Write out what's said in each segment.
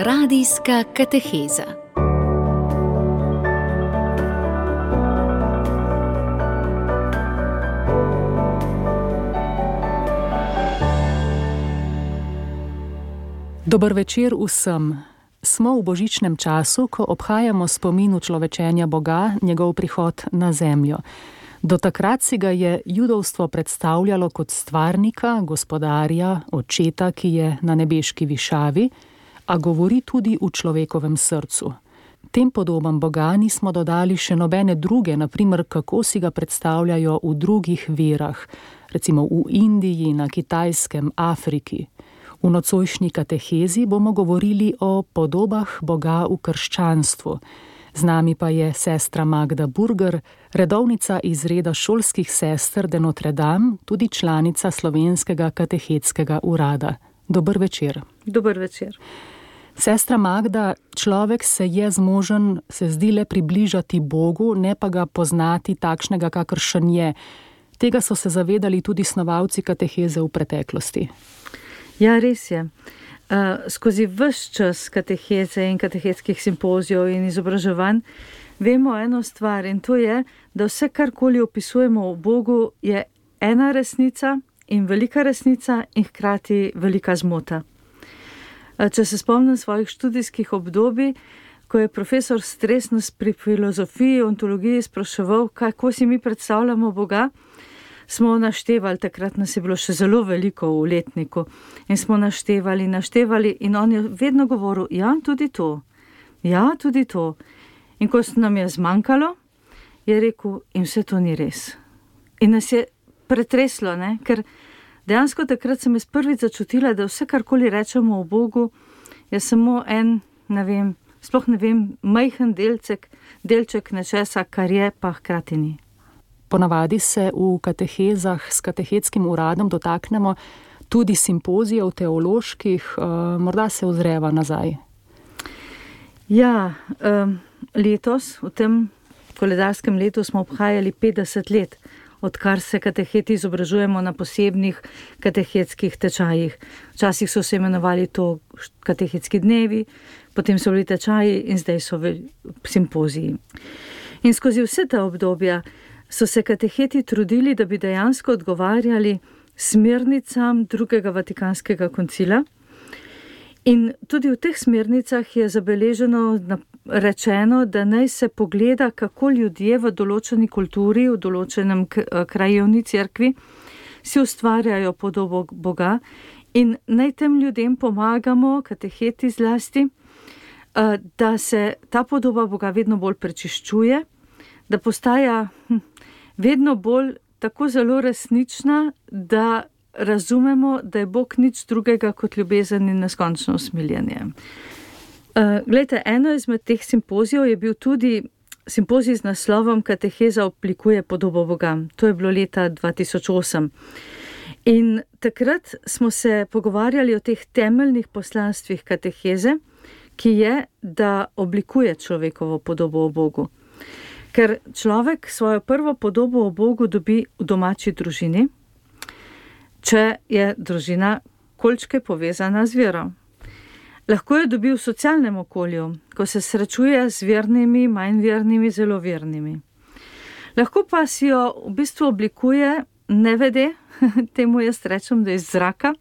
Radijska kateheza. Dober večer vsem. Smo v božičnem času, ko obhajamo spomin človečenja Boga, njegov prihod na zemljo. Do takrat si ga je judovstvo predstavljalo kot stvarnika, gospodarja, očeta, ki je na nebeški višavi, a govori tudi v človekovem srcu. Tem podobam Boga nismo dodali še nobene druge, naprimer kako si ga predstavljajo v drugih verah, recimo v Indiji, na Kitajskem, Afriki. V nocojšnji katehezi bomo govorili o podobah Boga v krščanstvu. Z nami pa je sestra Magda Burger, redovnica iz reda šolskih sester de Notre Dame, tudi članica Slovenskega katehetskega urada. Dober večer. Dober večer. Sestra Magda, človek se je zmožen, se zdi, le približati Bogu, ne pa ga poznati takšnega, kakršen je. Tega so se zavedali tudi snovalci kateheze v preteklosti. Ja, res je. Skozi ves čas kateheze in katehetskih simpozijev in izobraževanj vemo eno stvar, in to je, da vse, karkoli opisujemo o Bogu, je ena resnica in velika resnica in hkrati velika zmota. Če se spomnim svojih študijskih obdobij, ko je profesor Stres nas pri filozofiji, ontologiji spraševal, kako si mi predstavljamo Boga, smo naštevali, takrat nas je bilo še zelo veliko v letniku, in smo naštevali in on je vedno govoril, ja, tudi to. In ko nam je zmanjkalo, je rekel, in vse to ni res. In nas je pretreslo, ne? Ker dejansko takrat sem jaz prvič začutila, da vse, karkoli rečemo o Bogu, je samo en, sploh ne vem, majhen delček nečesa, kar je, pa hkrati ni. Ponavadi se v katehezah s katehetskim uradom dotaknemo tudi simpozijev teoloških, morda se ozreva nazaj. Ja, letos, v tem koledarskem letu smo obhajali 50 let, odkar se kateheti izobražujemo na posebnih katehetskih tečajih. Včasih so se imenovali to katehetski dnevi, potem so bili tečaji in zdaj so simpoziji. In skozi vse ta obdobja so se kateheti trudili, da bi dejansko odgovarjali smernicam drugega Vatikanskega koncila. In tudi v teh smernicah je rečeno, da naj se pogleda, kako ljudje v določeni kulturi, v določenem krajevni cerkvi si ustvarjajo podobo Boga in naj tem ljudem pomagamo, kateheti zlasti, da se ta podoba Boga vedno bolj prečiščuje, da postaja vedno bolj tako zelo resnična, da razumemo, da je Bog nič drugega kot ljubezen in neskončno usmiljenje. Glejte, eno izmed teh simpozijev je bil tudi simpozij z naslovom Kateheza oblikuje podobo Boga. To je bilo leta 2008. In takrat smo se pogovarjali o teh temeljnih poslanstvih kateheze, ki je, da oblikuje človekovo podobo o Bogu. Ker človek svojo prvo podobo o Bogu dobi v domači družini, če je družina kolikčke povezana z vero. Lahko jo dobi v socialnem okolju, ko se srečuje z vernimi, manj vernimi, zelo vernimi. Lahko pa si jo v bistvu oblikuje nevede, temu jaz rečem, da iz zraka,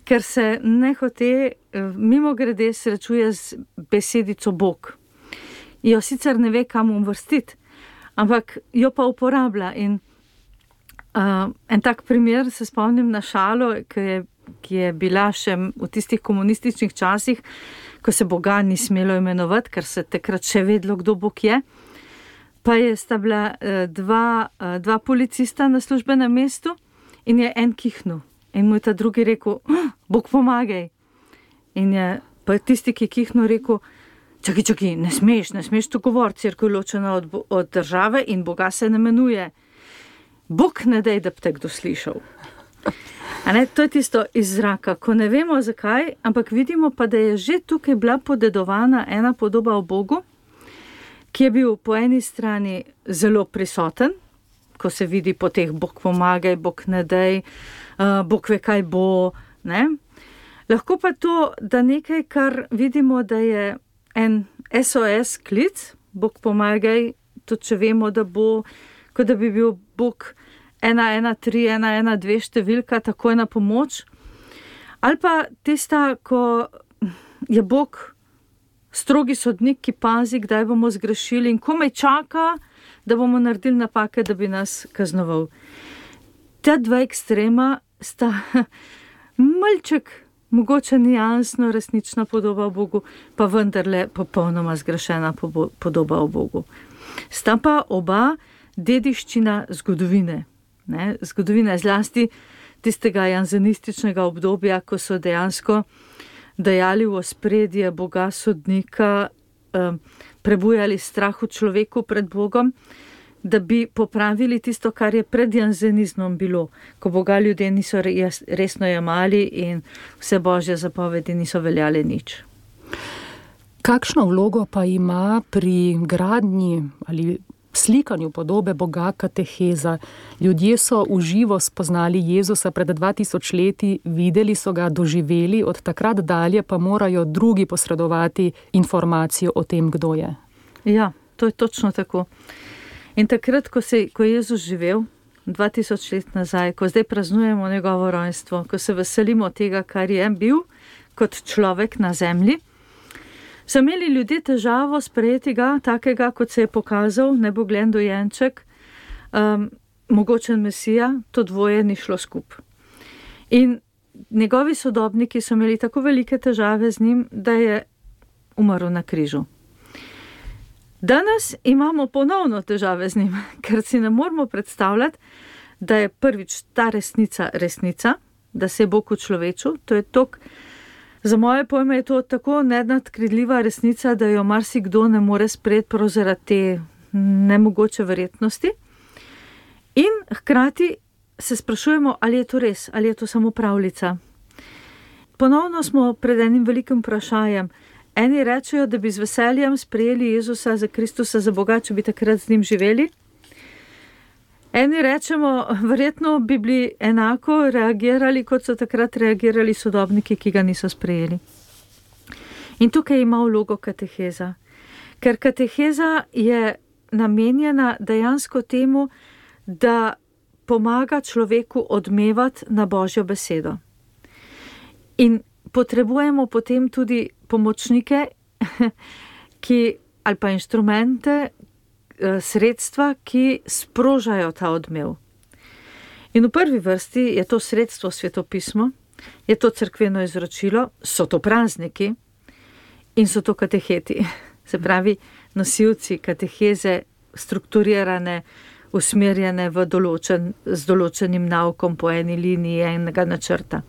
ker se nehote mimogrede srečuje z besedico Bog. Jo sicer ne ve, kam uvrstiti, ampak jo pa uporablja. In en tak primer se spomnim na šalo, ki je bila še v tistih komunističnih časih, ko se Boga ni smelo imenovati, ker se takrat še vedlo, kdo Bog je. Pa sta bila dva policista na službenem mestu in je en kihnil. In mu je ta drugi rekel, Bog pomagaj. In je pa tisti, ki je kihnil, rekel, čakaj, ne smeš to govoriti, cerkev je ločena od države in Boga se ne imenuje. Bog ne daj, da bi te kdo slišal. To je tisto iz zraka, ko ne vemo zakaj, ampak vidimo pa, da je že tukaj bila podedovana ena podoba o Bogu, ki je bil po eni strani zelo prisoten, ko se vidi po teh Bog pomagaj, Bog ne daj, Bog ve kaj bo, ne? Lahko pa to, da nekaj, kar vidimo, da je en SOS klic, Bog pomagaj, tudi če vemo, da bo, kot da bi bil Bog 113, 112 številka, takoj na pomoč. Ali pa tista, ko je Bog strogi sodnik, ki pazi, kdaj bomo zgrešili in komaj čaka, da bomo naredili napake, da bi nas kaznoval. Ta dva ekstrema sta malček, mogoče nijansno resnična podoba o Bogu, pa vendarle popolnoma zgrešena podoba o Bogu. Sta pa oba dediščina zgodovine. Ne? Zgodovina zlasti tistega janzenističnega obdobja, ko so dejansko dajali v ospredje Boga sodnika, prebujali strah v človeku pred Bogom, da bi popravili tisto, kar je pred janzenizmom bilo, ko Boga ljudje niso resno jemali in vse božje zapovedi niso veljale nič. Kakšno vlogo pa ima pri gradnji ali slikanju podobe Boga kateheza? Ljudje so v živo spoznali Jezusa pred 2000 leti, videli so ga, doživeli, od takrat dalje pa morajo drugi posredovati informacijo o tem, kdo je. Ja, to je točno tako. In takrat, ko je Jezus živel 2000 let nazaj, ko zdaj praznujemo njegovo rojstvo, ko se veselimo tega, kar je bil kot človek na zemlji, so imeli ljudje težavo sprejeti ga, takega, kot se je pokazal, neboglen dojenček, mogočen mesija, to dvoje ni šlo skup. In njegovi sodobniki so imeli tako velike težave z njim, da je umrl na križu. Danes imamo ponovno težave z njim, ker si ne moremo predstavljati, da je prvič ta resnica, da se je Bog učlovečil, to je tok. Za moje pojme je to tako nenadkridljiva resnica, da jo marsikdo ne more sprejeti prav zaradi te nemogoče verjetnosti. In hkrati se sprašujemo, ali je to res, ali je to samo pravljica. Ponovno smo pred enim velikim vprašanjem. Eni rečejo, da bi z veseljem sprejeli Jezusa za Kristusa, za Boga, če bi takrat z njim živeli. Eni rečemo, verjetno bi bili enako reagirali, kot so takrat reagirali sodobniki, ki ga niso sprejeli. In tukaj ima vlogo kateheza. Ker kateheza je namenjena dejansko temu, da pomaga človeku odmevati na Božjo besedo. In potrebujemo potem tudi pomočnike, ali pa inštrumente, sredstva, ki sprožajo ta odmev. In v prvi vrsti je to sredstvo svetopismo, je to cerkveno izročilo, so to prazniki in so to kateheti. Se pravi, nosilci kateheze, strukturirane, usmerjene z določenim naukom po eni liniji enega načrta.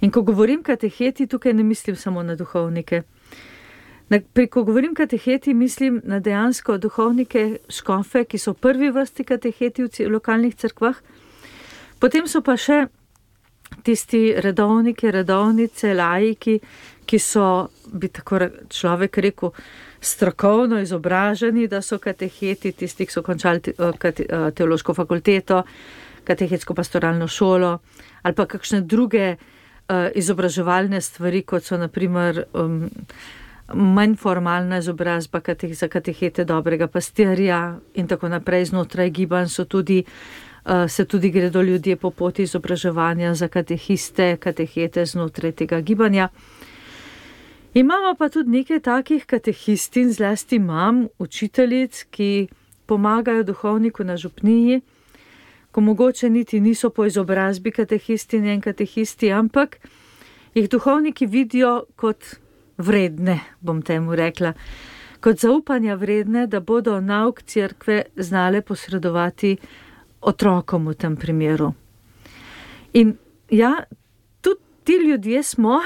In ko govorim kateheti, tukaj ne mislim samo na duhovnike. Ko govorim kateheti, mislim na dejansko duhovnike, škofe, ki so v prvi vrsti kateheti v lokalnih cerkvah. Potem so pa še tisti redovniki, redovnice, laiki, ki so, bi tako človek rekel, strokovno izobraženi, da so kateheti, tisti, ki so končali teološko fakulteto, katehetsko pastoralno šolo, ali pa kakšne druge izobraževalne stvari, kot so naprimer manj formalna izobrazba za katehete dobrega pastirja in tako naprej. Znotraj gibanj se tudi gredo ljudje po poti izobraževanja za katehete znotraj tega gibanja. Imamo pa tudi nekaj takih katehistin, zlasti mam, učiteljic, ki pomagajo duhovniku na župniji, ko mogoče niti niso po izobrazbi katehistin in katehisti, ampak jih duhovniki vidijo kot vredne, bom temu rekla, kot zaupanja vredne, da bodo nauk cerkve znale posredovati otrokom v tem primeru. In ja, tudi ti ljudje smo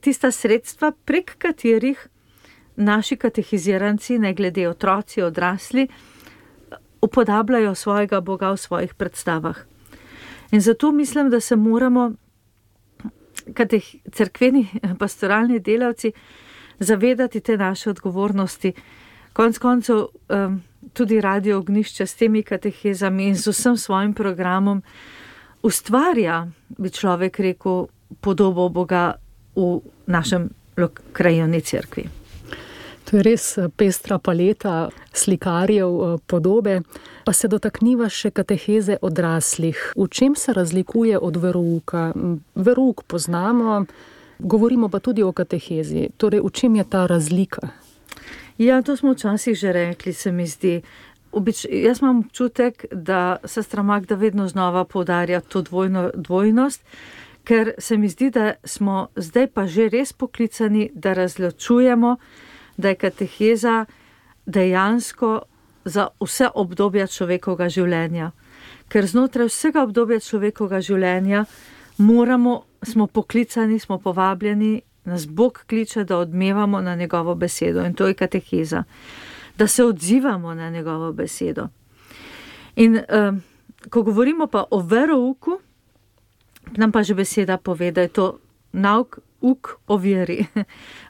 tista sredstva, prek katerih naši katehiziranci, ne glede otroci, odrasli, upodabljajo svojega Boga v svojih predstavah. In zato mislim, da se moramo cerkveni pastoralni delavci zavedati te naše odgovornosti. Konec koncev tudi Radio Ognjišče s temi katehezami in z vsem svojim programom ustvarja, bi človek rekel, podobo Boga v našem krajevni cerkvi. To je res pestra paleta slikarjev podobe. Pa se dotakniva še kateheze odraslih. V čem se razlikuje od verouka? Verouk poznamo, govorimo pa tudi o katehezi. Torej, v čem je ta razlika? Ja, to smo včasih že rekli, se mi zdi. Jaz imam občutek, da sestra Magda vedno znova poudarja to dvojnost, ker se mi zdi, da smo zdaj pa že res poklicani, da razločujemo, da je kateheza dejansko za vse obdobja človekovega življenja. Ker znotraj vsega obdobja človekovega življenja smo poklicani, smo povabljeni, nas Bog kliče, da odmevamo na njegovo besedo in to je kateheza. Da se odzivamo na njegovo besedo. In ko govorimo pa o verouku, nam pa že beseda pove, da je to uk o veri,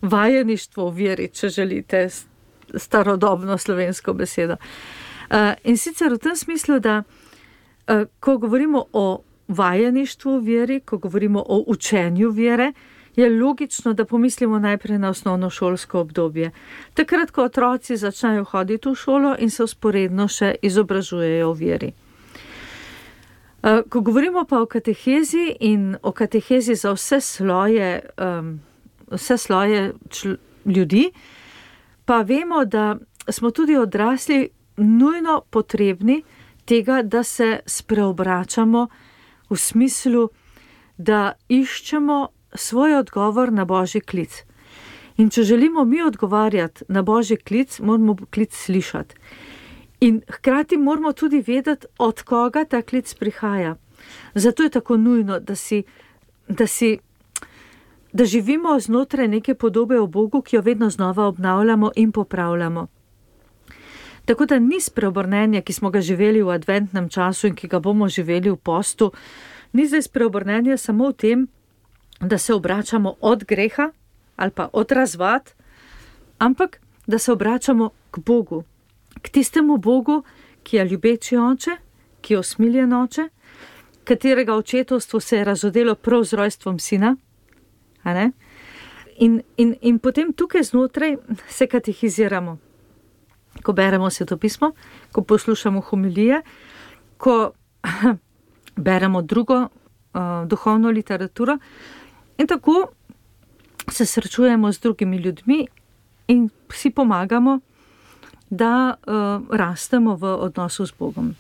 vajeništvo o veri, če želite starodobno slovensko besedo. In sicer v tem smislu, da ko govorimo o vajeništvu o veri, ko govorimo o učenju vere, je logično, da pomislimo najprej na osnovnošolsko obdobje. Takrat, ko otroci začnejo hoditi v šolo in se vzporedno še izobražujejo o veri. Ko govorimo pa o katehezi in o katehezi za vse sloje ljudi, pa vemo, da smo tudi odrasli nujno potrebni tega, da se spreobračamo v smislu, da iščemo svoj odgovor na Božji klic. In če želimo mi odgovarjati na Božji klic, moramo klic slišati. In hkrati moramo tudi vedeti, od koga ta klic prihaja. Zato je tako nujno, da živimo znotraj neke podobe o Bogu, ki jo vedno znova obnavljamo in popravljamo. Tako da ni spreobrnenja, ki smo ga živeli v adventnem času in ki ga bomo živeli v postu, ni zdaj spreobrnenja samo v tem, da se obračamo od greha ali pa od razvad, ampak da se obračamo k Bogu, k tistemu Bogu, ki je ljubeči oče, ki je usmiljen oče, katerega očetovstvo se je razodelo prav z rojstvom sina. A ne? In potem tukaj znotraj se katehiziramo. Ko beremo svetopismo, ko poslušamo homilije, ko beremo drugo duhovno literaturo in tako se srečujemo z drugimi ljudmi in si pomagamo, da rastemo v odnosu z Bogom.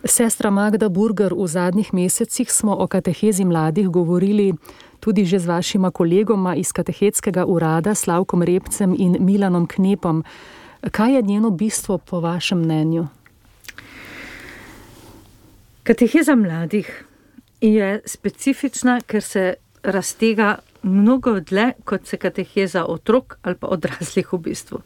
Sestra Magda Burger, v zadnjih mesecih smo o katehezi mladih govorili tudi že z vašima kolegoma iz katehetskega urada, Slavkom Repcem in Milanom Knepom. Kaj je njeno bistvo po vašem mnenju? Kateheza mladih je specifična, ker se raztega mnogo dlje, kot se kateheza otrok ali pa odraslih v bistvu.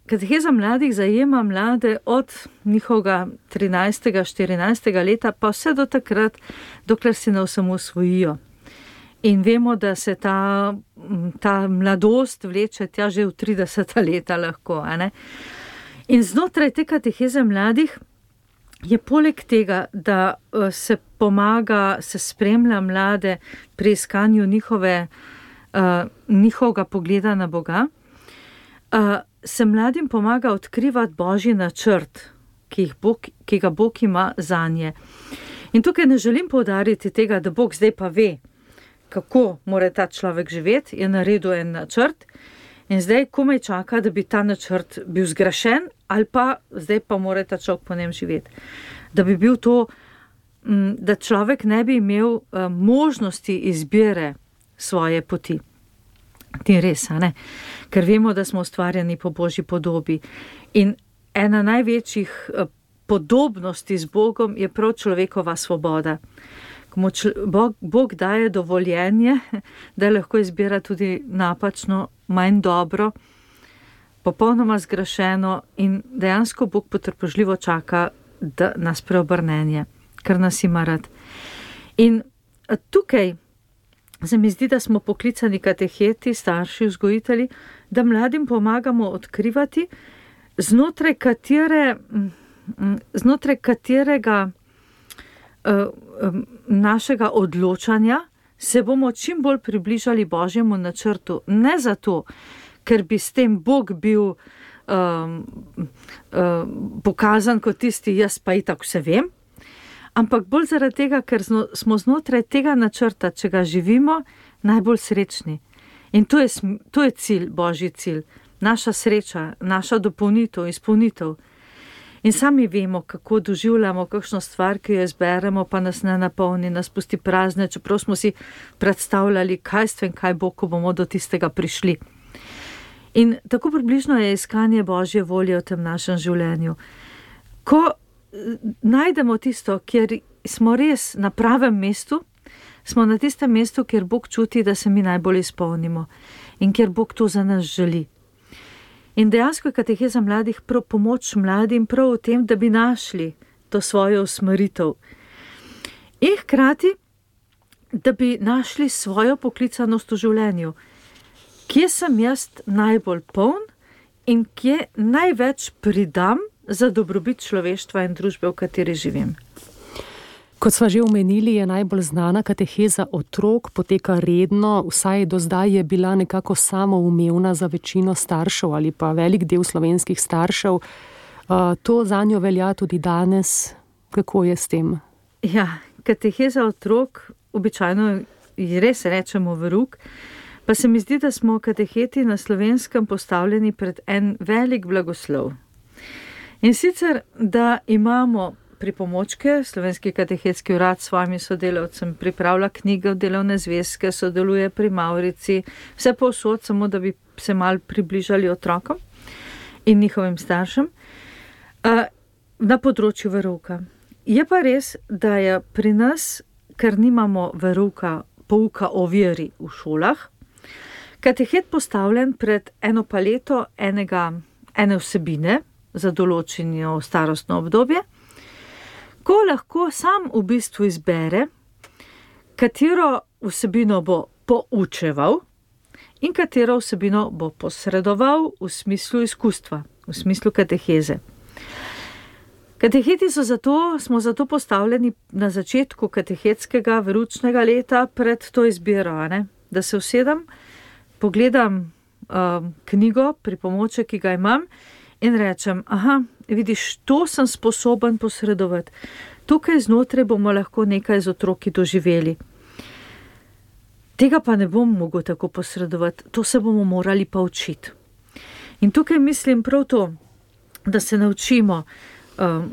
Kateheza mladih zajema mlade od njihovega 13. 14. leta pa vse do takrat, dokler se ne osamosvojijo. In vemo, da se ta mladost vleče tja že v 30. leta lahko. In znotraj te kateheze mladih je poleg tega, da se pomaga, se spremlja mlade pri iskanju njihovega pogleda na Boga, se mladim pomaga odkrivati Božji načrt, ki ga Bog ima zanje. In tukaj ne želim poudariti tega, da Bog zdaj pa ve, kako mora ta človek živeti, je naredil en načrt in zdaj komaj čaka, da bi ta načrt bil zgrešen ali pa zdaj pa mora ta človek po njem živeti. Da bi bil to, da človek ne bi imel možnosti izbire svoje poti. Ti res, a ne? Ker vemo, da smo ustvarjeni po Božji podobi. In ena največjih podobnosti z Bogom je prav človekova svoboda. Bog daje dovoljenje, da lahko izbira tudi napačno, manj dobro, popolnoma zgrešeno in dejansko Bog potrpežljivo čaka, da nas preobrnenje, ker nas ima rad. In tukaj se mi zdi, da smo poklicani kateheti, starši, vzgojitelji, da mladim pomagamo odkrivati, znotraj katerega našega odločanja, se bomo čim bolj približali Božjemu načrtu. Ne zato, ker bi s tem Bog bil pokazan kot tisti, jaz pa itak vse vem, ampak bolj zaradi tega, ker smo znotraj tega načrta, če ga živimo, najbolj srečni. In to je cilj, Božji cilj, naša sreča, naša dopolnitev, izpolnitev. In sami vemo, kako doživljamo kakšno stvar, ki jo izberemo, pa nas ne napolni, nas pusti prazne, čeprav smo si predstavljali, kaj bo, ko bomo do tistega prišli. In tako približno je iskanje Božje volje v tem našem življenju. Ko najdemo tisto, kjer smo res na pravem mestu, smo na tistem mestu, kjer Bog čuti, da se mi najbolj izpolnimo in kjer Bog to za nas želi. In dejansko je kateheza mladih prav pomoč mladim prav v tem, da bi našli to svojo usmeritev. In hkrati, da bi našli svojo poklicanost v življenju. Kje sem jaz najbolj poln in kje največ pridam za dobrobit človeštva in družbe, v kateri živim. Kot sva že omenili, je najbolj znana kateheza otrok, poteka redno, vsaj do zdaj je bila nekako samoumevna za večino staršev ali pa velik del slovenskih staršev. To zanjo velja tudi danes. Kako je s tem? Ja, kateheza otrok, običajno ji res rečemo verouk, pa se mi zdi, da smo kateheti na Slovenskem postavljeni pred en velik blagoslov. In sicer, da imamo pripomočke, Slovenski katehetski urad s svojimi sodelavcem pripravlja knjige, delovne zvezke, sodeluje pri Mavrici, vse povsod, samo da bi se malo približali otrokom in njihovim staršem na področju verouka. Je pa res, da je pri nas, ker nimamo verouka, pouka o veri v šolah, katehet postavljen pred eno paleto ene vsebine za določeno starostno obdobje, ko lahko sam v bistvu izbere, katero vsebino bo poučeval in katero vsebino bo posredoval v smislu izkustva, v smislu kateheze. Kateheti smo zato postavljeni na začetku katehetskega veroučnega leta pred to izbiro, da se usedem, pogledam knjigo, pripomoček, ki ga imam in rečem, vidiš, to sem sposoben posredovati. Tukaj znotraj bomo lahko nekaj z otroki doživeli. Tega pa ne bom mogel tako posredovati, to se bomo morali pa učiti. In tukaj mislim prav to, da se naučimo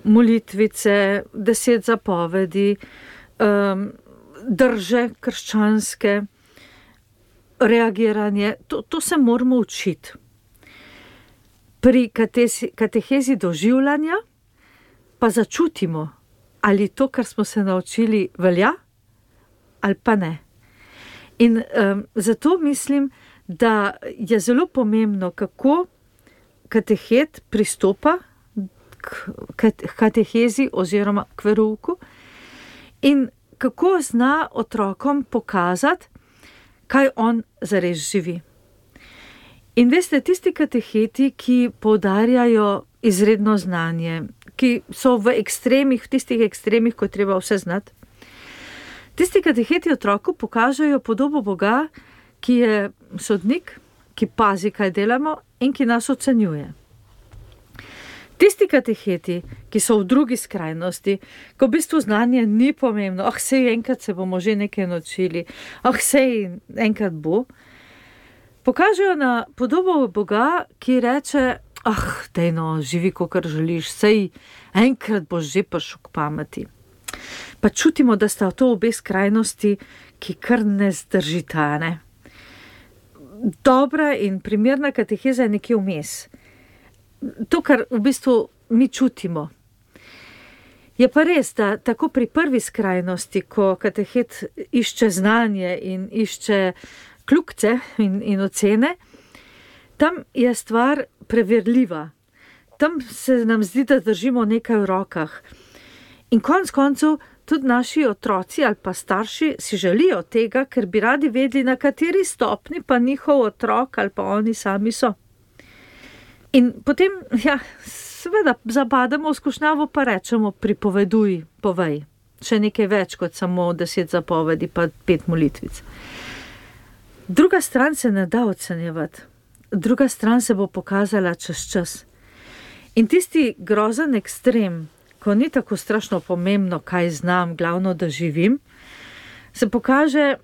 molitvice, 10 zapovedi, drže krščanske, reagiranje, to se moramo učiti. Pri katehezi doživljanja pa začutimo, ali to, kar smo se naučili, velja ali pa ne. In zato mislim, da je zelo pomembno, kako katehet pristopa k katehezi oziroma k verouku in kako zna otrokom pokazati, kaj on zares živi. In veste, tisti kateheti, ki poudarjajo izredno znanje, ki so v tistih ekstremih, ko treba vse znati, tisti kateheti otroku pokažejo podobo Boga, ki je sodnik, ki pazi, kaj delamo in ki nas ocenjuje. Tisti kateheti, ki so v drugi skrajnosti, ko v bistvu znanje ni pomembno, sej enkrat se bomo že nekaj naučili, sej enkrat bo, pokažejo na podobo Boga, ki reče, dejno, živi, kakor želiš, sej enkrat boš že prišel k pameti. Pa čutimo, da sta to obe skrajnosti, ki kar ne zdržita, ne? Dobra in primerna kateheza je nekje vmes. To, kar v bistvu mi čutimo. Je pa res, da tako pri prvi skrajnosti, ko katehet išče znanje in išče kljukce in ocene, tam je stvar preverljiva. Tam se nam zdi, da držimo nekaj v rokah. In konec koncev tudi naši otroci ali pa starši si želijo tega, ker bi radi vedeli, na kateri stopni pa njihov otrok ali pa oni sami so. In potem, seveda, zabademo v skušnjavo pa rečemo, pripoveduj, povej. še nekaj več kot samo 10 zapovedi pa 5 molitvic. Druga stran se ne da ocenjevati. Druga stran se bo pokazala čez čas. In tisti grozen ekstrem, ko ni tako strašno pomembno, kaj znam, glavno, da živim, se pokaže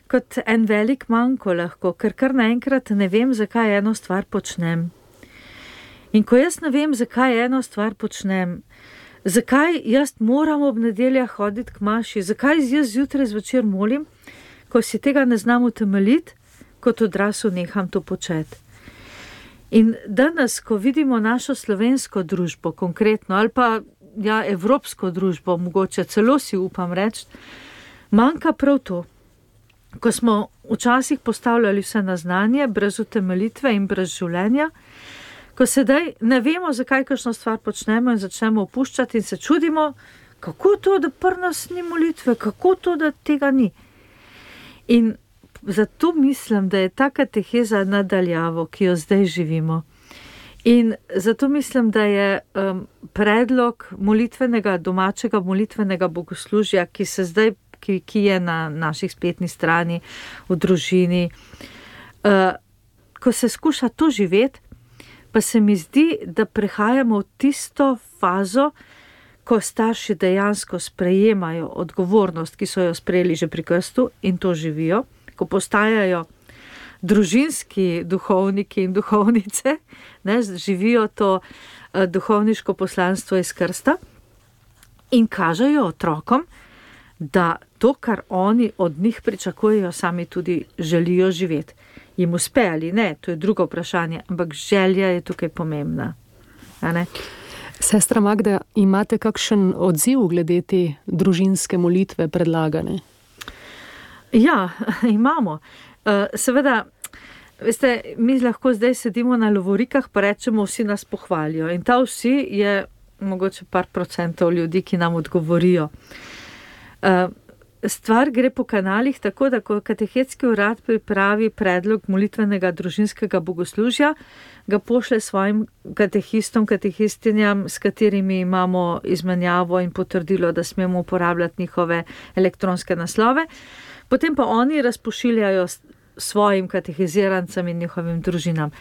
kot en velik manko lahko, ker kar naenkrat ne vem, zakaj eno stvar počnem. In ko jaz ne vem, zakaj eno stvar počnem, zakaj jaz moram ob nedeljah hoditi k maši, zakaj jaz zjutraj zvečer molim, ko si tega ne znam utemeljiti, kot odrasel neham to početi. In danes, ko vidimo našo slovensko družbo konkretno, ali pa evropsko družbo, mogoče celo si upam reči, manjka prav to. Ko smo včasih postavljali vse na znanje, brez utemeljitve in brez življenja, ko sedaj ne vemo, zakaj kakšno stvar počnemo in začnemo opuščati in se čudimo, kako to, da pri nas ni molitve, kako to, da tega ni. In zato mislim, da je ta kateheza nadaljavo, ki jo zdaj živimo. In zato mislim, da je predlog domačega molitvenega bogoslužja, ki je na naših spletni strani, v družini, ko se skuša to živeti, pa se mi zdi, da prehajamo v tisto fazo, ko starši dejansko sprejemajo odgovornost, ki so jo sprejeli že pri krstu in to živijo, ko postajajo družinski duhovniki in duhovnice, živijo to duhovniško poslanstvo iz krsta in kažejo otrokom, da to, kar oni od njih pričakujejo, sami tudi želijo živeti. Jim uspe ali ne, to je drugo vprašanje, ampak želja je tukaj pomembna. Sestra Magda, imate kakšen odziv glede te družinske molitve predlagane? Ja, imamo. Seveda, veste, mi lahko zdaj sedimo na lovorikah, pa rečemo, vsi nas pohvalijo. In ta vsi je mogoče par procentov ljudi, ki nam odgovorijo. Stvar gre po kanalih tako, da ko katehetski urad pripravi predlog molitvenega družinskega bogoslužja, ga pošle svojim katehistom, katehistinjam, s katerimi imamo izmenjavo in potrdilo, da smemo uporabljati njihove elektronske naslove. Potem pa oni razpošiljajo svojim katehizirancem in njihovim družinam.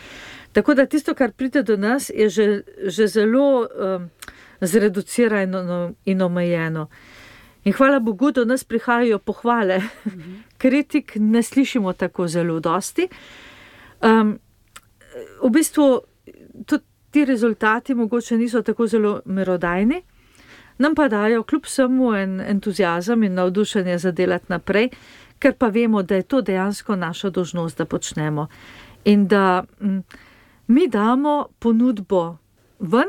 Tako da tisto, kar pride do nas, je že zelo zreducirano in omejeno. In hvala Bogu, do nas prihajajo pohvale. Kritik ne slišimo tako zelo dosti. V bistvu tudi ti rezultati mogoče niso tako zelo merodajni, nam pa dajo kljub vsemu en entuziazem in navdušenje za delati naprej, ker pa vemo, da je to dejansko naša dolžnost, da počnemo. In da mi damo ponudbo ven,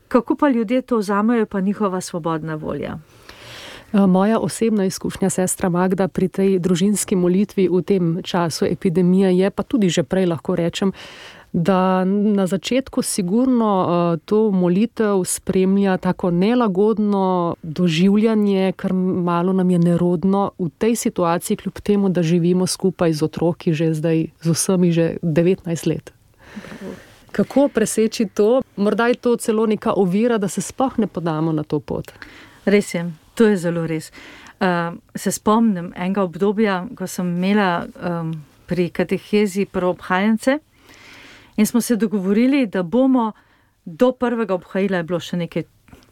kako pa ljudje to vzamejo, pa njihova svobodna volja. Moja osebna izkušnja, sestra Magda, pri tej družinski molitvi v tem času epidemije je, pa tudi že prej lahko rečem, da na začetku sigurno to molitev spremlja tako nelagodno doživljanje, kar malo nam je nerodno v tej situaciji, kljub temu, da živimo skupaj z otroki že zdaj, z vsemi že 19 let. Kako preseči to? Morda je to celo neka ovira, da se sploh ne podamo na to pot. Res je, to je zelo res. Se spomnim enega obdobja, ko sem imela pri katehezi prvobhajence in smo se dogovorili, da bomo do prvega obhajila, je bilo še nekaj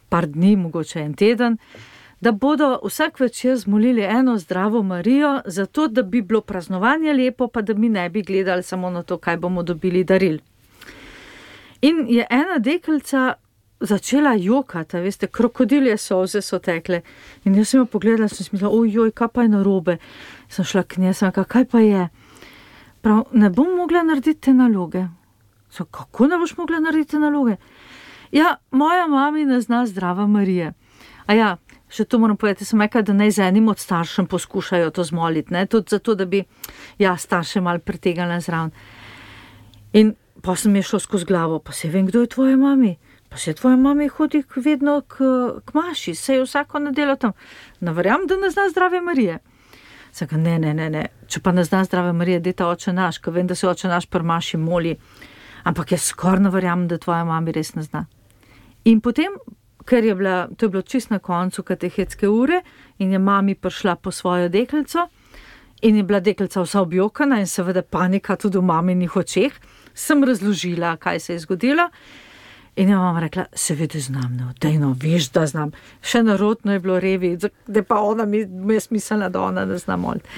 par dni, mogoče en teden, da bodo vsak večer zmolili eno zdravo Marijo, zato da bi bilo praznovanje lepo, pa da mi ne bi gledali samo na to, kaj bomo dobili daril. In je ena deklica začela jokati, veste, krokodilje solze so tekle. In jaz sem jo pogledala, sem si mislila, ojoj, kaj pa je narobe. Sem šla k njej, sem rekla, kaj pa je? Prav, ne bom mogla narediti te naloge. Sem, kako ne boš mogla narediti te naloge? Ja, moja mami ne zna zdrava Marije. A ja, še to moram povedati, sem rekla, da naj z enim od staršem poskušajo to zmoliti, ne? Tudi zato, da bi starše malo pritegnila zraven. In pa sem je šlo skozi glavo, pa se vem, kdo je tvoja mami. Pa se tvoja mami hodi vedno k maši, se je vsako nedeljo tam. Ne verjamem, da ne zna zdrave Marije. Saka, ne, če pa ne zna zdrave Marije, dejta oče naš, ko vem, da se oče naš pri maši moli. Ampak jaz skoraj ne verjamem, da tvoja mami res ne zna. In potem, ker to je bilo čist na koncu katehetske ure in je mami prišla po svojo deklico in je bila deklica vsa objokana in seveda panika tudi v maminih očeh. Sem razložila, kaj se je zgodilo in je mama rekla, seveda znam, dejno, veš, da znam. Še narodno je bilo revi, da pa ona mi je smiselna, da ona ne zna moliti.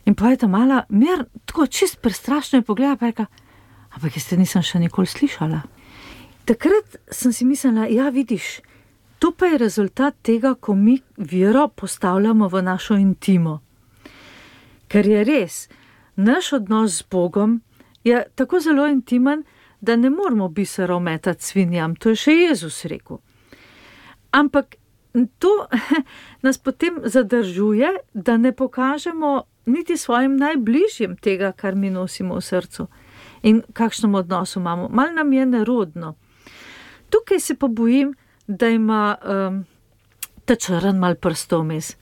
In pa je ta mala mer, tako čist prestrašno je pogleda, pa je rekla, ampak jaz te nisem še nikoli slišala. Takrat sem si mislila, ja vidiš, to pa je rezultat tega, ko mi vero postavljamo v našo intimo. Ker je res, naš odnos z Bogom je tako zelo intimen, da ne moramo biserov metati svinjam, to je še Jezus rekel. Ampak to nas potem zadržuje, da ne pokažemo niti svojim najbližjim tega, kar mi nosimo v srcu in kakšnem odnosu imamo. Mal nam je nerodno. Tukaj se pa bojim, da ima ta črn mal prstov vmes.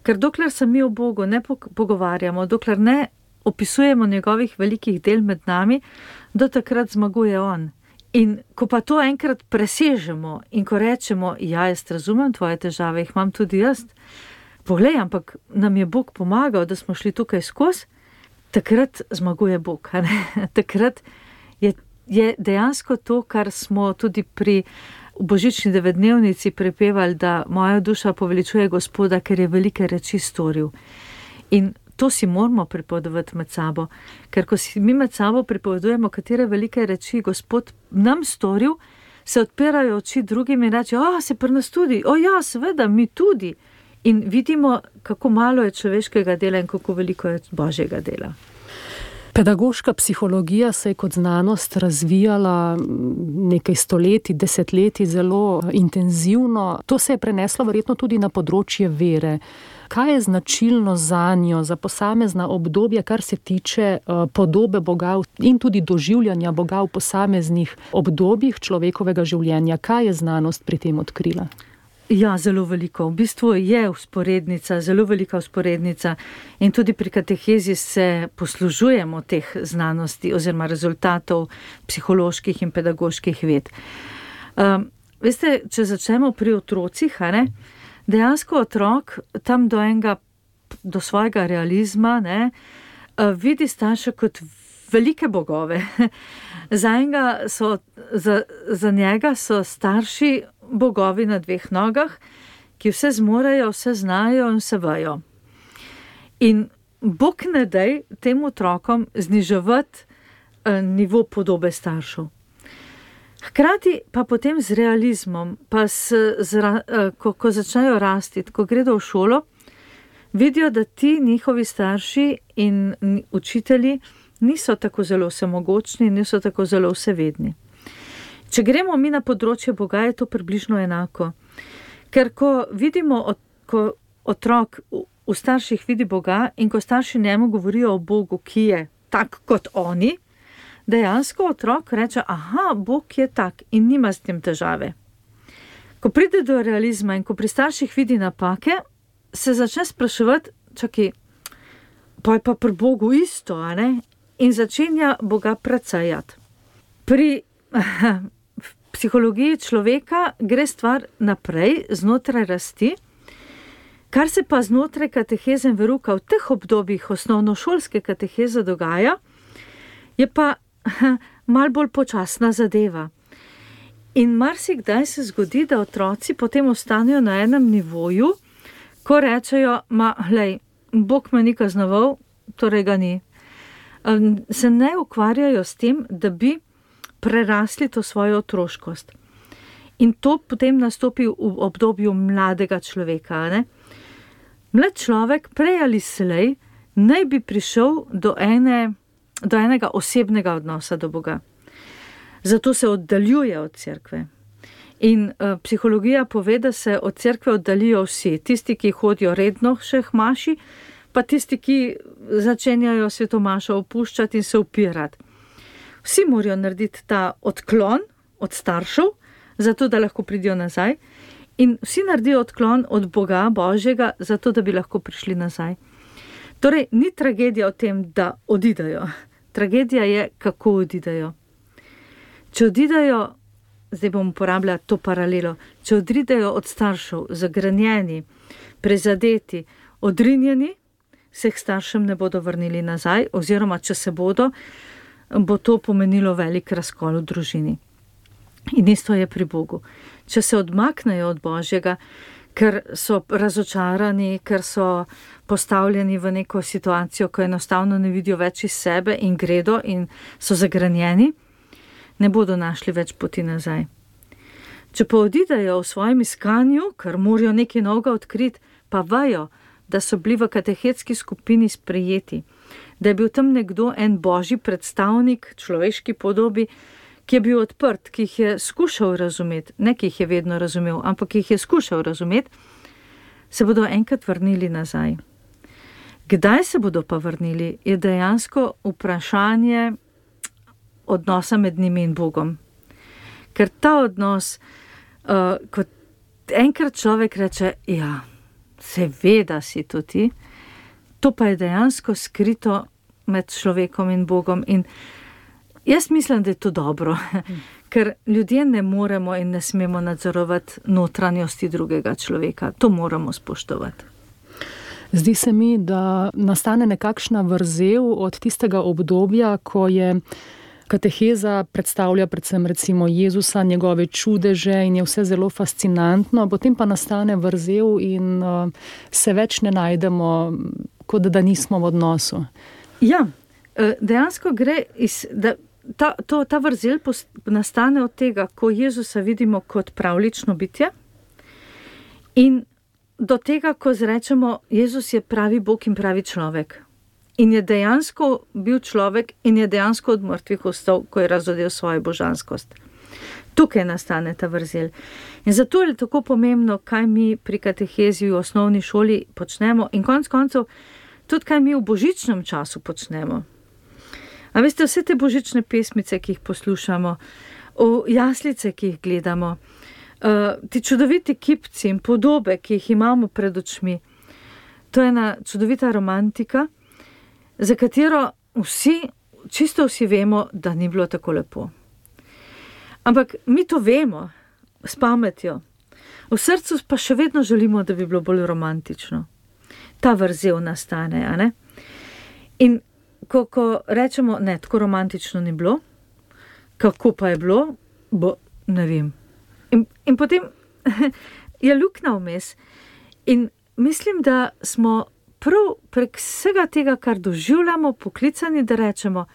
Ker dokler se mi o Bogu ne pogovarjamo, dokler ne opisujemo njegovih velikih del med nami, do takrat zmaguje on. In ko pa to enkrat presežemo in ko rečemo, ja, jaz razumem tvoje težave, jih imam tudi jaz, poglej, ampak nam je Bog pomagal, da smo šli tukaj skozi, takrat zmaguje Bog. Takrat je dejansko to, kar smo tudi pri božični devetdnevnici prepevali, da moja duša poveličuje Gospoda, ker je velike reči storil. In to si moramo pripovedovati med sabo, ker ko si mi med sabo pripovedujemo, katere velike reči Gospod nam storil, se odpirajo oči drugim in reče, se pri nas tudi, ja, seveda, mi tudi. In vidimo, kako malo je človeškega dela in kako veliko je Božjega dela. Pedagoška psihologija se je kot znanost razvijala nekaj stoletij, desetletij zelo intenzivno. To se je preneslo verjetno tudi na področje vere. Kaj je značilno zanjo, za posamezna obdobja, kar se tiče podobe Boga in tudi doživljanja Boga v posameznih obdobjih človekovega življenja? Kaj je znanost pri tem odkrila? Ja, zelo veliko. V bistvu je vzporednica, zelo velika vzporednica in tudi pri katehezi se poslužujemo teh znanosti oziroma rezultatov psiholoških in pedagoških ved. Veste, če začnemo pri otrocih, dejansko otrok tam do svojega realizma vidi starše kot velike bogove. Za njega so starši bogovi na dveh nogah, ki vse zmorejo, vse znajo in vse vejo. In Bog ne daj tem otrokom zniževati nivo podobe staršev. Hkrati pa potem z realizmom, pa ko začnejo rasti, ko gredo v šolo, vidijo, da ti njihovi starši in učitelji niso tako zelo vsemogočni, niso tako zelo vsevedni. Če gremo mi na področje Boga, je to približno enako. Ker ko vidimo, ko otrok v starših vidi Boga in ko starši njemu govorijo o Bogu, ki je tak kot oni, dejansko otrok reče, Bog je tak in nima s tem težave. Ko pride do realizma in ko pri starših vidi napake, se začne spraševati, pa je pa pri Bogu isto, in začenja Boga precejati. Pri psihologiji človeka gre stvar naprej, znotraj rasti, kar se pa znotraj kateheze in veruka v teh obdobjih osnovnošolske kateheze dogaja, je pa mal bolj počasna zadeva. In marsikdaj se zgodi, da otroci potem ostanejo na enem nivoju, ko rečejo, Bog me ni kaznoval, torej ga ni. Se ne ukvarjajo s tem, da bi prerasli to svojo otroškost. In to potem nastopi v obdobju mladega človeka. Mlad človek prej ali slej naj bi prišel do enega osebnega odnosa do Boga. Zato se oddaljuje od cerkve. In psihologija pove, da se od cerkve oddaljijo vsi, tisti, ki hodijo redno še k maši, pa tisti, ki začenjajo svetomašo opuščati in se upirati. Vsi morajo narediti ta odklon od staršev, zato da lahko pridijo nazaj, in vsi naredijo odklon od Boga, Božjega, zato da bi lahko prišli nazaj. Torej, ni tragedija v tem, da odidejo. Tragedija je, kako odidejo. Če odidejo zdaj bom uporabljala to paralelo, če odridejo od staršev zagrenjeni, prizadeti, odrinjeni, se k staršem ne bodo vrnili nazaj, oziroma če se bodo, bo to pomenilo velik razkol v družini. In isto je pri Bogu. Če se odmaknejo od Božjega, ker so razočarani, ker so postavljeni v neko situacijo, ko enostavno ne vidijo več iz sebe in gredo in so zagrenjeni, ne bodo našli več poti nazaj. Če pa odidejo v svojem iskanju, ker morajo nekaj novega odkriti, pa vejo, da so bili v katehetski skupini sprejeti, da je bil tam nekdo, en božji predstavnik, človeški podobi, ki je bil odprt, ki jih je skušal razumeti, ne ki jih je vedno razumel, ampak ki jih je skušal razumeti, se bodo enkrat vrnili nazaj. Kdaj se bodo pa vrnili, je dejansko vprašanje odnosa med njimi in Bogom. Ker ta odnos, kot enkrat človek reče, ja, seveda si to ti, to pa je dejansko skrito med človekom in Bogom. In jaz mislim, da je to dobro, ker ljudje ne moremo in ne smemo nadzorovati notranjosti drugega človeka. To moramo spoštovati. Zdi se mi, da nastane nekakšna vrzel od tistega obdobja, ko je kateheza predstavlja predvsem recimo Jezusa, njegove čudeže in je vse zelo fascinantno, potem pa nastane vrzel in se več ne najdemo, kot da nismo v odnosu. Ja, dejansko gre ta vrzel nastane od tega, ko Jezusa vidimo kot pravlično bitje in do tega, ko zrečemo, Jezus je pravi Bog in pravi človek. In je dejansko bil človek in je dejansko od mrtvih vstal, ko je razodel svojo božanskost. Tukaj nastane ta vrzel. In zato je tako pomembno, kaj mi pri katehezi v osnovni šoli počnemo in konec koncev tudi kaj mi v božičnem času počnemo. A veste, vse te božične pesmice, ki jih poslušamo, jaslice, ki jih gledamo, ti čudoviti kipci in podobe, ki jih imamo pred očmi, to je ena čudovita romantika, za katero čisto vsi vemo, da ni bilo tako lepo. Ampak mi to vemo s pametjo. V srcu pa še vedno želimo, da bi bilo bolj romantično. Ta vrzel nastane, a ne? In ko rečemo, ne, tako romantično ni bilo, kako pa je bilo, ne vem. In potem je luknja vmes. In mislim, da smo prav prek vsega tega, kar doživljamo, poklicani, da rečemo,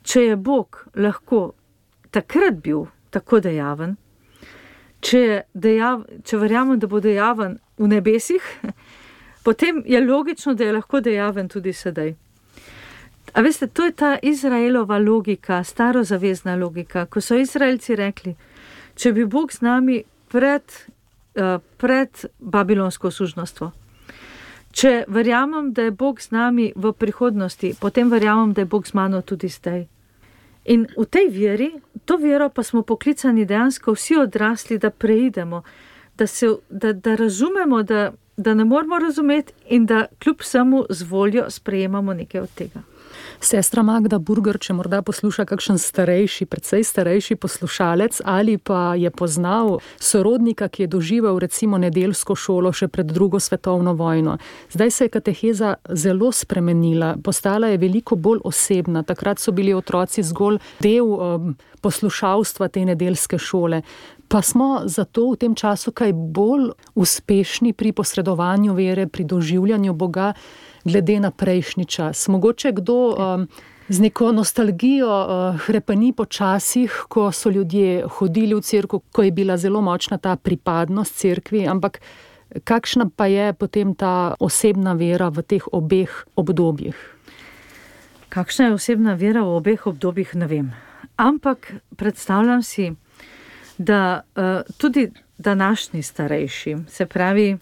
če je Bog lahko takrat bil tako dejaven, če verjamem, da bo dejaven v nebesih, potem je logično, da je lahko dejaven tudi sedaj. A veste, to je ta Izraelova logika, starozavezna logika, ko so Izraelci rekli, če bi Bog z nami pred babilonsko sužnostvo, če verjamem, da je Bog z nami v prihodnosti, potem verjamem, da je Bog z mano tudi zdaj. In v tej veri, to vero pa smo poklicani dejansko vsi odrasli, da preidemo, da razumemo, da ne moramo razumeti in da kljub vsemu z voljo sprejemamo nekaj od tega. Sestra Magda Burger, če morda posluša kakšen starejši, precej starejši poslušalec ali pa je poznal sorodnika, ki je doživel recimo nedeljsko šolo še pred 2. svetovno vojno. Zdaj se je kateheza zelo spremenila, postala je veliko bolj osebna. Takrat so bili otroci zgolj del poslušalstva te nedeljske šole. Pa smo zato v tem času kaj bolj uspešni pri posredovanju vere, pri doživljanju Boga, glede na prejšnji čas. Mogoče kdo z neko nostalgijo hrepeni po časih, ko so ljudje hodili v cerkev, ko je bila zelo močna ta pripadnost cerkvi, ampak kakšna pa je potem ta osebna vera v teh obeh obdobjih? Kakšna je osebna vera v obeh obdobjih, ne vem. Ampak predstavljam si, da tudi današnji starejši, se pravi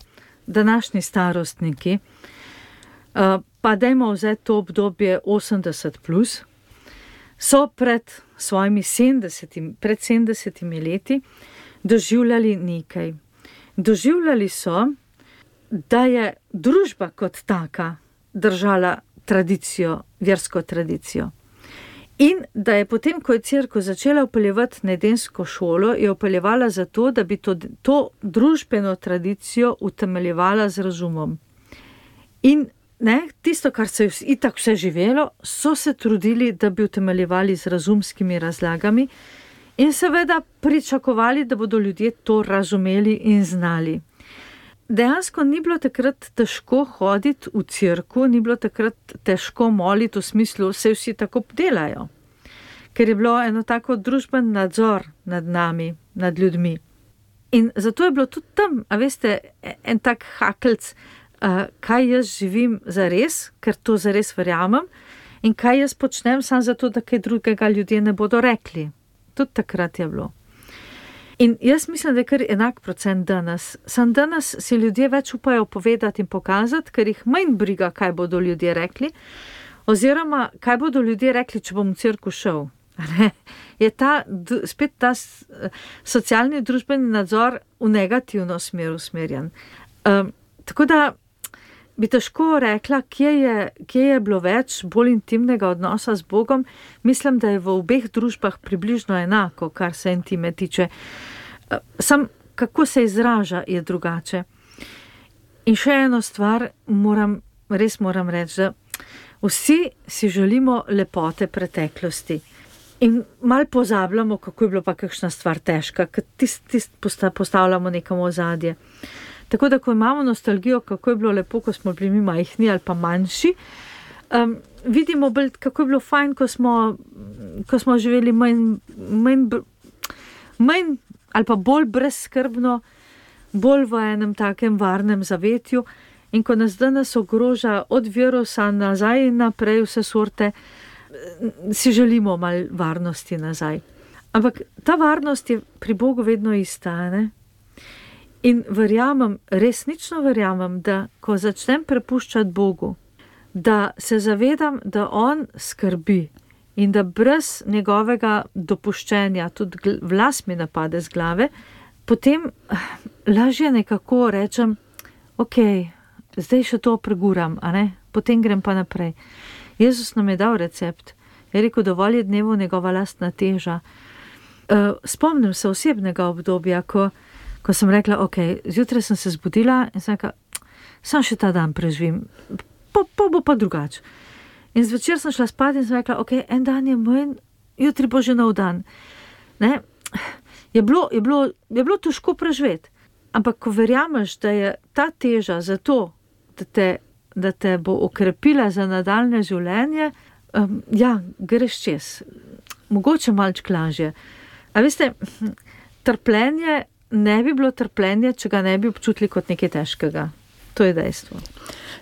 današnji starostniki, pa dajmo vzeti to obdobje 80+, so pred svojimi 70 leti doživljali nekaj. Doživljali so, da je družba kot taka držala tradicijo, versko tradicijo. In da je potem, ko je cerkev začela vpeljevati nedeljsko šolo, je vpeljevala zato, da bi to družbeno tradicijo utemeljevala z razumom. In tisto, kar se je itak vse živelo, so se trudili, da bi utemeljevali z razumskimi razlagami in seveda pričakovali, da bodo ljudje to razumeli in znali. Dejansko ni bilo takrat težko hoditi v cerkev, ni bilo takrat težko moliti v smislu, vse vsi tako delajo. Ker je bilo eno tako družben nadzor nad nami, nad ljudmi. In zato je bilo tudi tam, a veste, en tak hakelc, kaj jaz živim zares, ker to zares verjamem, in kaj jaz počnem samo zato, da kaj drugega ljudje ne bodo rekli. Tudi takrat je bilo. In jaz mislim, da je kar enak procent danes. Sam danes si ljudje več upajo povedati in pokazati, ker jih manj briga, kaj bodo ljudje rekli, oziroma kaj bodo ljudje rekli, če bom v cerkev šel. Je spet ta socialni družbeni nadzor v negativno smer usmerjen. Tako da bi težko rekla, kje je bilo več bolj intimnega odnosa z Bogom. Mislim, da je v obeh družbah približno enako, kar se intime tiče. Sam kako se izraža, je drugače. In še eno stvar res moram reči, da vsi si želimo lepote preteklosti. In malo pozabljamo, kako je bilo pa kakšna stvar težka, ker tist postavljamo nekam v ozadje. Tako da, ko imamo nostalgijo, kako je bilo lepo, ko smo bili mi majhni ali pa manjši, vidimo bolj, kako je bilo fajn, ko smo živeli manj ali pa bolj brezskrbno, bolj v enem takem varnem zavetju. In ko nas danes ogroža od virusa nazaj in naprej vse sorte, si želimo malo varnosti nazaj. Ampak ta varnost je pri Bogu vedno ista, ne? In resnično verjamem, da ko začnem prepuščati Bogu, da se zavedam, da on skrbi in da brez njegovega dopuščenja tudi vlas mi napade z glave, potem lažje nekako rečem, ok, zdaj še to preguram, a ne? Potem grem pa naprej. Jezus nam je dal recept. Je rekel, dovolj je dnevu njegova lastna teža. Spomnim se osebnega obdobja, ko sem rekla, ok, zjutraj sem se zbudila in sem rekla, sam še ta dan preživim, pa bo pa drugače. In zvečer sem šla spat in sem rekla, ok, en dan je manj, jutri bo že nov dan. Ne? Je bilo težko preživeti, ampak ko verjameš, da je ta teža zato, da te bo okrepila za nadaljne življenje, greš čez. Mogoče malček lažje. A veste, trpljenje ne bi bilo trpljenje, če ga ne bi občutili kot nekaj težkega. To je dejstvo.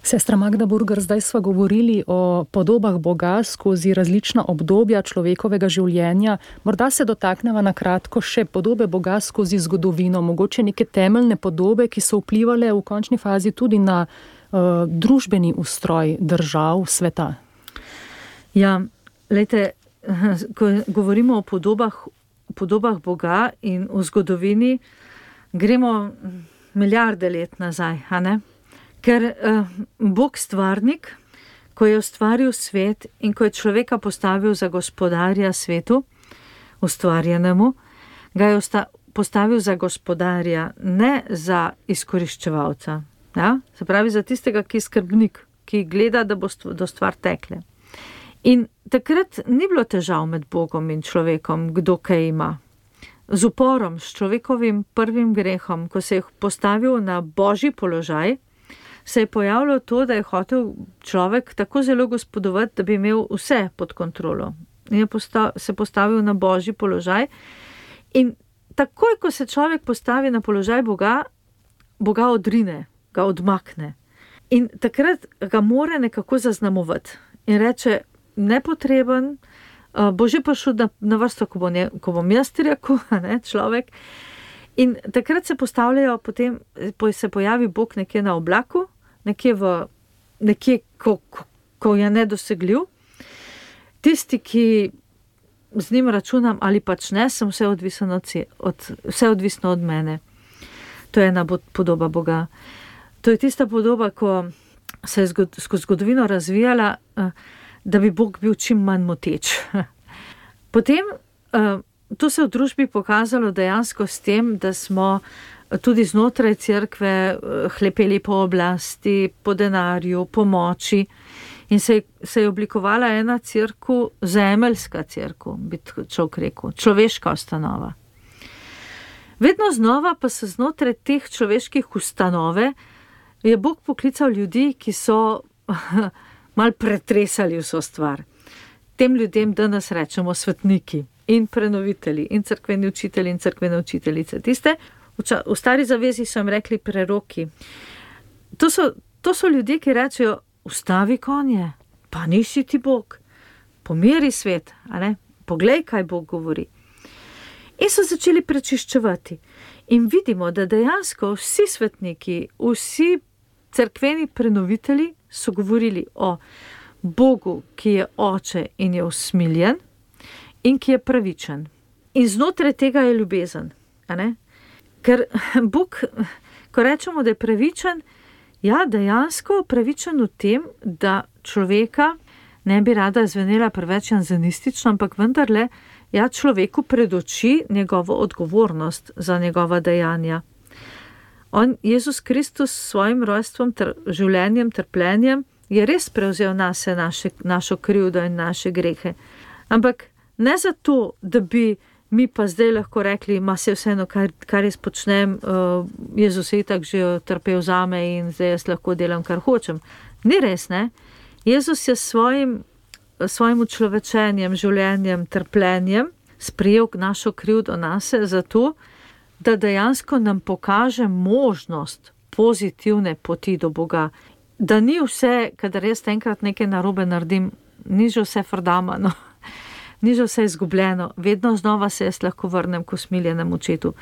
Sestra Magda Burger, zdaj sva govorili o podobah Boga skozi različna obdobja človekovega življenja. Morda se dotakneva na kratko še podobe Boga skozi zgodovino, mogoče neke temeljne podobe, ki so vplivale v končni fazi tudi na družbeni ustroj držav sveta. Ja, lejte, ko govorimo o podobah Boga in v zgodovini, gremo milijarde let nazaj, a ne? Ker Bog stvarnik, ko je ustvaril svet in ko je človeka postavil za gospodarja svetu, ustvarjenemu, ga je postavil za gospodarja, ne za izkoriščevalca. Ja? Se pravi, za tistega, ki je skrbnik, ki gleda, da bo do stvar tekle. In takrat ni bilo težav med Bogom in človekom, kdo kaj ima. Z uporom, s človekovim prvim grehom, ko se je postavil na božji položaj, se je pojavilo to, da je hotel človek tako zelo gospodovati, da bi imel vse pod kontrolo. In je se postavil na božji položaj. In takoj, ko se človek postavi na položaj Boga, Boga odrine, ga odmakne. In takrat ga mora nekako zaznamovati. In reče, nepotreben, bo že prišel na vrsto, ko bom jaz rekel, ne, človek. In takrat se postavljajo, potem se pojavi Bog nekje na oblaku, nekje, ko je nedosegljiv. Tisti, ki z njim računam ali pač ne, sem vse odvisno od mene. To je ena podoba Boga. To je tista podoba, ko se je skozi zgodovino razvijala, da bi Bog bil čim manj moteč. Potem to se v družbi pokazalo dejansko s tem, da smo tudi znotraj cerkve hlepeli po oblasti, po denarju, po moči in se je oblikovala ena cerkev, zemeljska cerkev, bi človek rekel, človeška ustanova. Vedno znova pa se znotraj teh človeških ustanove je Bog poklical ljudi, ki so mal pretresali vso stvar. Tem ljudem danes rečemo svetniki in prenovitelji in cerkveni učitelji in cerkvene učiteljice. Tiste v stari zavezi so jim rekli preroki. To so ljudje, ki rečejo, ustavi konje, pa nisi ti Bog, pomiri svet, a ne? Poglej, kaj Bog govori. In so začeli prečiščevati. In vidimo, da dejansko vsi svetniki, vsi cerkveni prenovitelji so govorili o Bogu, ki je oče in je usmiljen in ki je pravičen. In znotraj tega je ljubezen. A ne? Ker Bog, ko rečemo, da je pravičen, ja, dejansko pravičen v tem, da človeka, ne bi rada zvenela preveč janzanistično, ampak vendarle, ja, človeku predoči njegovo odgovornost za njegova dejanja. Jezus Kristus s svojim rojstvom, življenjem, trpljenjem je res prevzel nase našo krivdo in naše grehe. Ampak ne zato, da bi mi pa zdaj lahko rekli, ma se vseeno, kar jaz počnem, Jezus je itak že trpel zame in zdaj jaz lahko delam, kar hočem. Ni res, ne? Jezus je svojim učlovečenjem, življenjem, trpljenjem sprejel našo krivdo nase zato, da dejansko nam pokaže možnost pozitivne poti do Boga. Da ni vse, kadar jaz enkrat nekaj narobe naredim, ni že vse frdamano, ni že vse izgubljeno, vedno znova se jaz lahko vrnem k usmiljenemu očetu.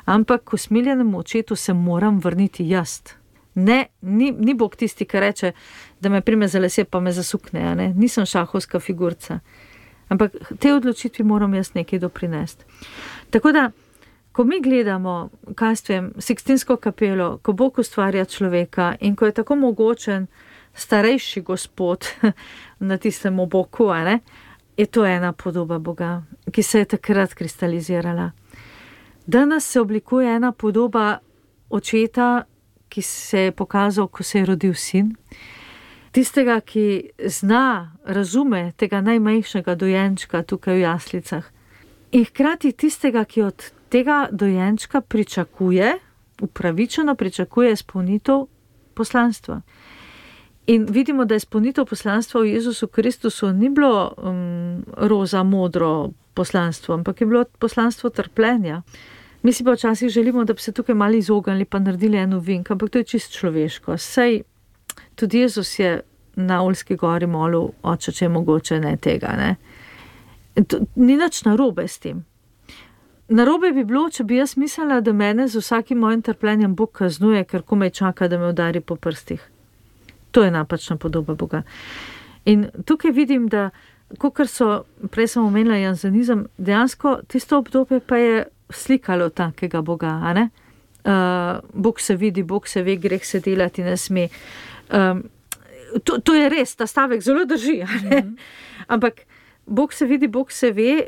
Ampak k usmiljenemu očetu se moram vrniti jaz. Ne, ni Bog tisti, ki reče, da me prime za lase pa me zasukne, ne? Nisem šahovska figurca. Ampak te odločitvi moram jaz nekaj doprinesti. Tako da, ko mi gledamo, kaj vem, Sikstinsko kapelo, ko Bog ustvarja človeka in ko je tako mogočen starejši gospod na tistem oboku, ne, je to ena podoba Boga, ki se je takrat kristalizirala. Danes se oblikuje ena podoba očeta, ki se je pokazal, ko se je rodil sin, tistega, ki zna, razume tega najmajhnejšega dojenčka tukaj v jaslicah in hkrati tistega, ki od tega dojenčka pričakuje, upravičeno pričakuje izpolnitev poslanstva. In vidimo, da izpolnitev poslanstva v Jezusu Kristusu ni bilo roza, modro poslanstvo, ampak je bilo poslanstvo trpljenja. Mi si pa včasih želimo, da bi se tukaj malo izognili pa naredili eno vink, ampak to je čisto človeško. Sej tudi Jezus je na Oljski gori molil, oče, če je mogoče, ne tega. Ne? Ni nič narobe s tem. Narobe bi bilo, če bi jaz mislila, da mene z vsakim mojim trpljenjem Bog kaznuje, ker komaj čaka, da me udari po prstih. To je napačna podoba Boga. In tukaj vidim, da, kakor so, prej sem omenila janzenizem, dejansko tisto obdobje pa je slikalo takega Boga, a ne? Bog se vidi, Bog se ve, greh se delati ne sme. To je res, ta stavek zelo drži, a ne? Ampak Bog se vidi, Bog se ve,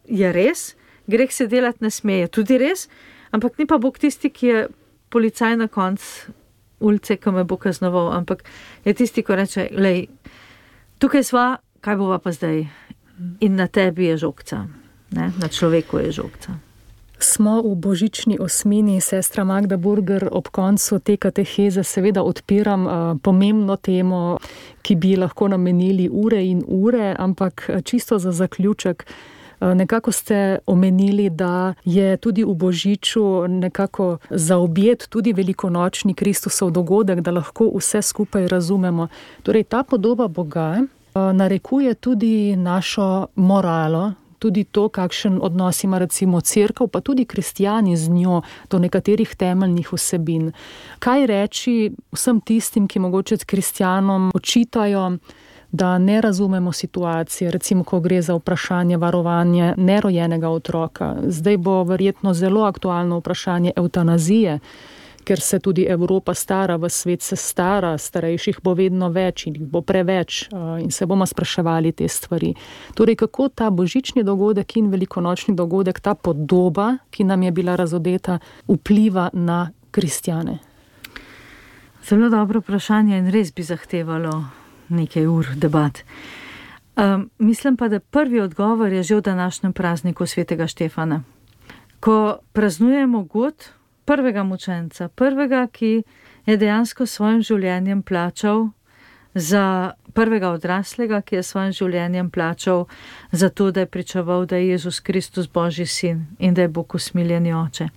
je res, greh se delati ne sme, je tudi res, ampak ni pa Bog tisti, ki je policaj na koncu ulice, ko me bo kaznoval, ampak je tisti, ko reče, lej, tukaj sva, kaj bova pa zdaj? In na tebi je žogca, ne? Na človeku je žogca. Smo v božični osmini, sestra Magda Burger, ob koncu te kateheze seveda odpiram pomembno temo, ki bi lahko namenili ure in ure, ampak čisto za zaključek, nekako ste omenili, da je tudi v božiču nekako zaobjet tudi velikonočni Kristusov dogodek, da lahko vse skupaj razumemo. Torej, ta podoba Boga narekuje tudi našo moralo, tudi to, kakšen odnos ima recimo cerkev, pa tudi kristjani z njo do nekaterih temeljnih vsebin. Kaj reči vsem tistim, ki mogoče kristjanom očitajo, da ne razumemo situacije, recimo, ko gre za vprašanje varovanja nerojenega otroka. Zdaj bo verjetno zelo aktualno vprašanje evtanazije, ker se tudi Evropa stara, v svet se stara, starejših bo vedno več in jih bo preveč in se bomo spraševali te stvari. Torej, kako ta božični dogodek in velikonočni dogodek, ta podoba, ki nam je bila razodeta, vpliva na kristjane? Zelo dobro vprašanje in res bi zahtevalo nekaj ur debat. Mislim pa, da prvi odgovor je že v današnjem prazniku svetega Štefana. Ko praznujemo god prvega mučenca, prvega, ki je dejansko svojim življenjem plačal za prvega odraslega, ki je svojim življenjem plačal za to, da je pričeval, da je Jezus Kristus Božji sin in da je Bog usmiljeni oče.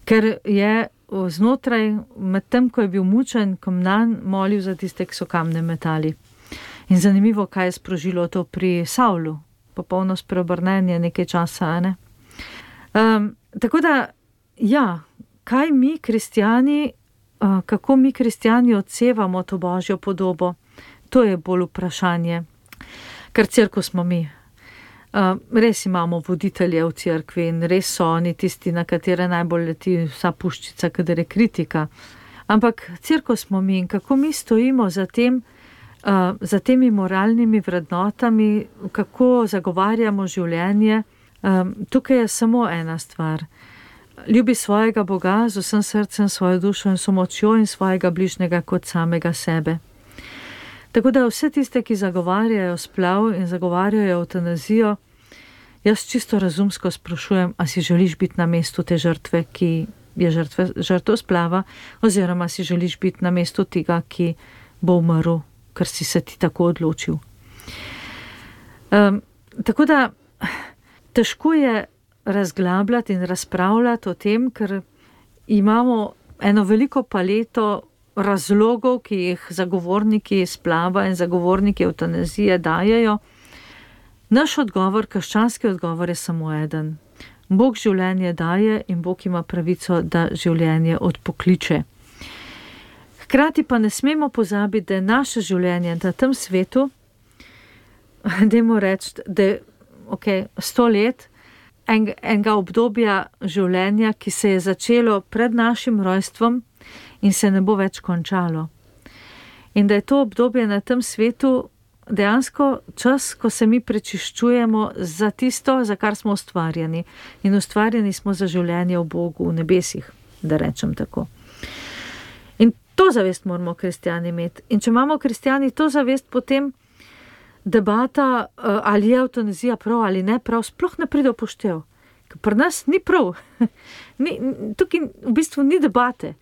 Ker je znotraj, med tem, ko je bil mučen, komnan, molil za tiste, ki so kamne metali. In zanimivo, kaj je sprožilo to pri Savlu. Popolno spreobrnenje nekaj časa, ne? Tako da, ja, kaj mi kristjani, kako mi kristjani odsevamo to Božjo podobo, to je bolj vprašanje. Ker cerkev smo mi. Res imamo voditelje v cerkvi in res so oni tisti, na katere najbolj leti vsa puščica, kadar je kritika. Ampak cerkev smo mi in kako mi stojimo za temi moralnimi vrednotami, kako zagovarjamo življenje. Tukaj je samo ena stvar. Ljubi svojega Boga z vsem srcem, svojo dušo in močjo in svojega bližnjega kot samega sebe. Tako da vse tiste, ki zagovarjajo splav in zagovarjajo evtanazijo, jaz čisto razumsko sprašujem, a si želiš biti na mestu te žrtve, ki je žrtev splava, oziroma si želiš biti na mestu tega, ki bo umrl, ker si se ti tako odločil. Tako da težko je razglabljati in razpravljati o tem, ker imamo eno veliko paleto razlogov, ki jih zagovorniki splava in zagovorniki evtanazije dajejo. Naš odgovor, krščanski odgovor je samo eden. Bog življenje daje in Bog ima pravico, da življenje odpokliče. Hkrati pa ne smemo pozabiti, da je naše življenje na tem svetu, dajmo reči, da je 100 let enega obdobja življenja, ki se je začelo pred našim rojstvom in se ne bo več končalo. In da je to obdobje na tem svetu dejansko čas, ko se mi prečiščujemo za tisto, za kar smo ustvarjeni. In ustvarjeni smo za življenje v Bogu, v nebesih, da rečem tako. In to zavest moramo kristjani imeti. In če imamo kristjani to zavest, potem debata, ali je evtanazija prav ali ne prav, sploh ne pride v poštev. Ker pri nas ni prav. Tukaj v bistvu ni debate.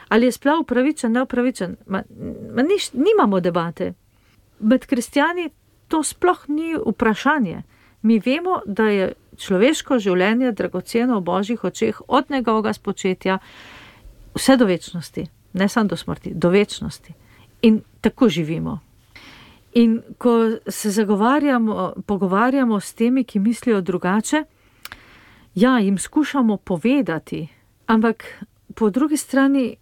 Ali je splav upravičen, neupravičen? Nimamo debate. Med kristjani to sploh ni vprašanje. Mi vemo, da je človeško življenje dragoceno v Božjih očeh od njegovega spočetja vse do večnosti. Ne samo do smrti, do večnosti. In tako živimo. In ko se pogovarjamo s temi, ki mislijo drugače, ja, jim skušamo povedati, ampak po drugi strani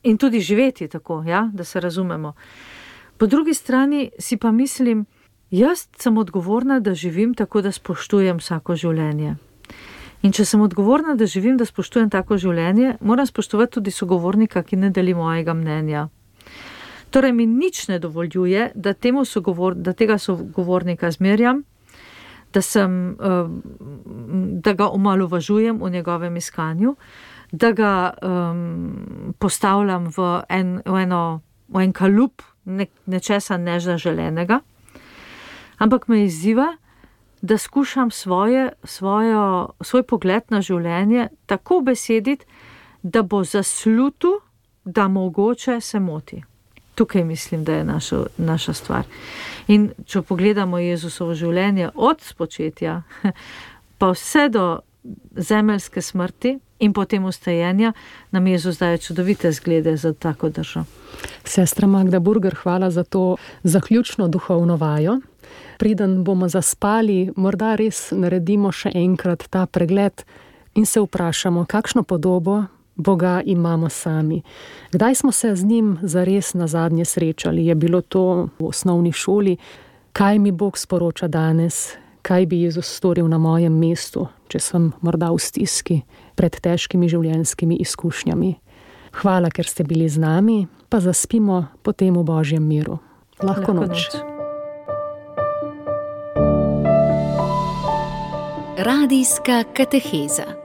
in tudi živeti tako, ja, da se razumemo. Po drugi strani si pa mislim, jaz sem odgovorna, da živim tako, da spoštujem vsako življenje. In če sem odgovorna, da živim, da spoštujem tako življenje, moram spoštovati tudi sogovornika, ki ne deli mojega mnenja. Torej mi nič ne dovoljuje, da tega sogovornika zmerjam, da ga omalovažujem v njegovem iskanju, da ga postavljam v en kalup nečesa nezaželenega, ampak me izziva, da skušam svoj pogled na življenje tako besediti, da bo zaslutu, da mogoče se moti. Tukaj mislim, da je naša stvar. In če pogledamo Jezusovo življenje od spočetja, pa vse do zemeljske smrti in potem ustajenja, nam Jezus daje čudovite zglede za tako držo. Sestra Magda Burger, hvala za to zaključno duhovno vajo. Preden bomo zaspali, morda res naredimo še enkrat ta pregled in se vprašamo, kakšno podobo Boga imamo sami. Kdaj smo se z njim zares nazadnje srečali? Je bilo to v osnovni šoli? Kaj mi Bog sporoča danes? Kaj bi Jezus storil na mojem mestu, če sem morda v stiski pred težkimi življenjskimi izkušnjami. Hvala, ker ste bili z nami, pa zaspimo potem v Božjem miru. Lahko noč. Radijska kateheza.